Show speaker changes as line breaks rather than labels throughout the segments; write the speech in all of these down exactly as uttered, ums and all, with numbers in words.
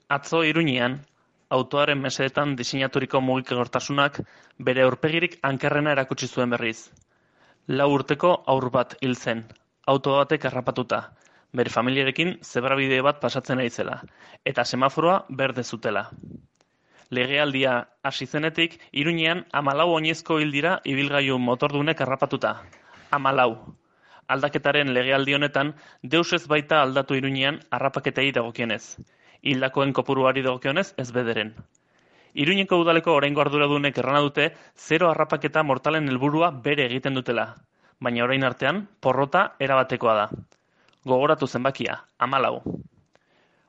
Atzo Iruñean, autoaren mesedetan diseinaturiko mugikortasunak bere aurpegirik ankerrena erakutsi zuen berriz. Lau urteko haur bat hil zen, auto batek harrapatuta, bere familiarekin zebrabide bat pasatzen ari zela, eta semaforoa berde zutela. Legealdia hasi zenetik, Iruñean hamalau oinezko hil dira ibilgailu motordunek harrapatuta. Hamalau. Aldaketaren legealdi honetan, deus ez baita aldatu Iruñean harrapaketei dagokienez. Hildakoen kopuruari dagokionez ez bederen. Iruñeko udaleko oraingo arduradunek errana dute zero harrapaketa mortalen helburua bere egiten dutela, baina orain artean porrota erabatekoa da. Gogoratu zenbakia, hamalau.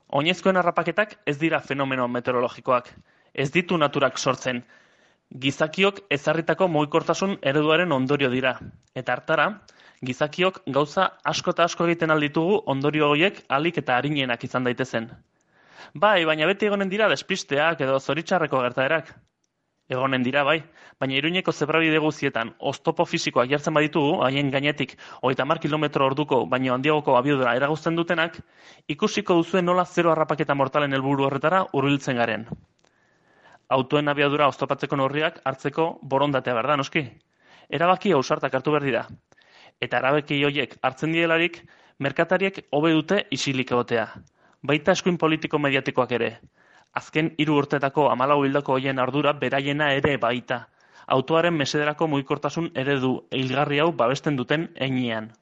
Oinezkoen harrapaketak ez dira fenomeno meteorologikoak, ez ditu naturak sortzen. Gizakiok ezarritako mugikortasun ereduaren ondorio dira, eta hartara, gizakiok gauza asko eta asko egiten alditugu ondorio horiek ahalik eta arinenak izan daitezen. Bai, baina beti egonen dira despisteak edo zoritxarreko gertaerak. Egonen dira, bai, baina Iruñeko zebrabide guztietan oztopo fisikoak jartzen baditugu, haien gainetik hogeita hamar kilometro orduko baino handiagoko abiadura eragozten dutenak, ikusiko duzuen nola zero harrapaketa mortalen helburu horretara hurbiltzen garen. Autoen abiadura oztopatzeko neurriak hartzeko borondatea behar da, noski. Erabaki ausartak hartu behar dira. Eta erabaki horiek hartzen dielarik, merkatariek hobe dute isilik egotea. Baita eskuin politiko mediatikoak ere. Azken hiru urtetako hamalau hildako hoien ardura beraiena ere baita. Autoaren mesederako mugikortasun eredu hilgarri hau babesten duten heinean.